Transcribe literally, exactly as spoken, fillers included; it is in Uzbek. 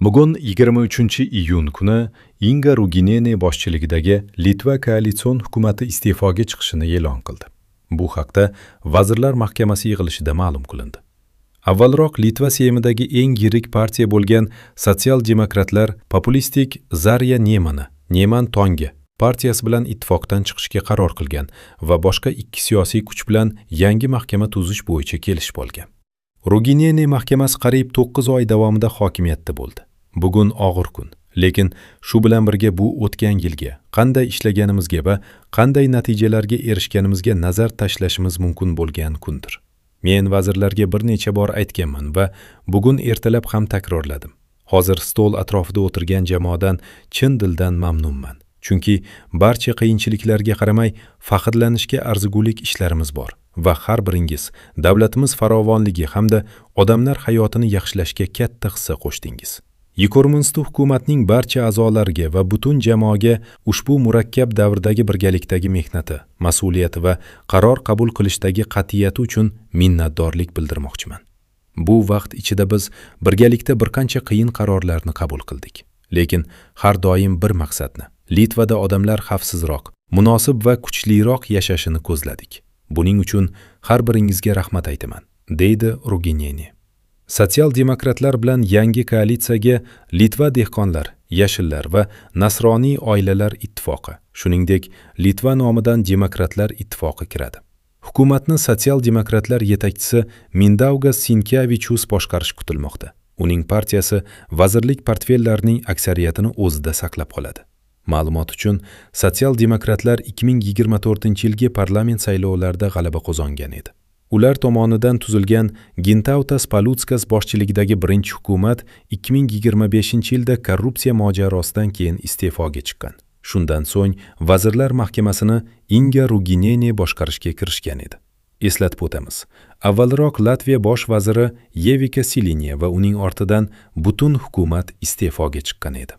Bugun yigirma uchinchi iyun kuni Inga Ruginene boshchiligidagi Litva koalitsion hukumati iste'foga chiqishini e'lon qildi. Bu haqda Vazirlar Mahkamasi yig'ilishida ma'lum qilindi. Avvalroq Litva Seymidagi eng yirik partiya bo'lgan sotsial-demokratlar populistik Zarya Nemani, Neman Tongi partiyasi bilan ittifoqdan chiqishga qaror qilgan va boshqa ikki siyosiy kuch bilan yangi mahkama tuzish bo'yicha kelishib olgan. Ruginene mahkamasi qariyb to'qqiz oy davomida hokimiyatda bo'ldi. Bugun og'ir kun, lekin shu bilan birga bu o'tgan yilga, qanday ishlaganimizga va qanday natijalarga erishganimizga nazar tashlashimiz mumkin bo'lgan kundir. Men vazirlarga bir necha bor aytganman va bugun ertalab ham takrorladim. Hozir stol atrofida o'tirgan jamoadan chin dildan mamnunman. Chunki barcha qiyinchiliklarga qaramay faxrlanishga arzigulik ishlarimiz bor va har biringiz davlatimiz farovonligi hamda odamlar hayotini yaxshilashga katta hissa qo'shdingiz. Yekormunstu hukumatning barcha a'zolariga va butun jamoaga ushbu murakkab davrdagi birgalikdagi mehnati, mas'uliyati va qaror qabul qilishdagi qat'iyati uchun minnatdorlik bildirmoqchiman. Bu vaqt ichida biz birgalikda bir qancha qiyin qarorlarni qabul qildik. Lekin har doim bir maqsadni, Litvada odamlar xavfsizroq, munosib va kuchliroq yashashini ko'zladik. Buning uchun har biringizga rahmat aytaman, deydi Ruginene. Sotsial-demokratlar bilan yangi koalitsiyaga Litva dehqonlar, yashillar va nasroniy oilalar ittifoqi, shuningdek Litva nomidan demokratlar ittifoqi kiradi. Hukumatni sotsial-demokratlar yetakchisi Mindaugas Sinkevichus boshqarishi kutilmoqda. Uning partiyasi vazirlik portfellarining aksariyatini o'zida saqlab qoladi. Ma'lumot uchun, sotsial-demokratlar ikki ming yigirma to'rtinchi yilgi parlament saylovlarida g'alaba qozongan edi. Ular tomonidan tuzilgan Gintautas Paluckas boshchiligidagi birinchi hukumat ikki ming yigirma beshinchi yilda korrupsiya mojarosidan keyin iste'foga chiqqan. Shundan so'ng Vazirlar Mahkamasini Inga Ruginene boshqarishga kirishgan edi. Eslatib o'tamiz, avvalroq Latviya bosh vaziri Yevika Silinye va uning ortidan butun hukumat iste'foga chiqqan edi.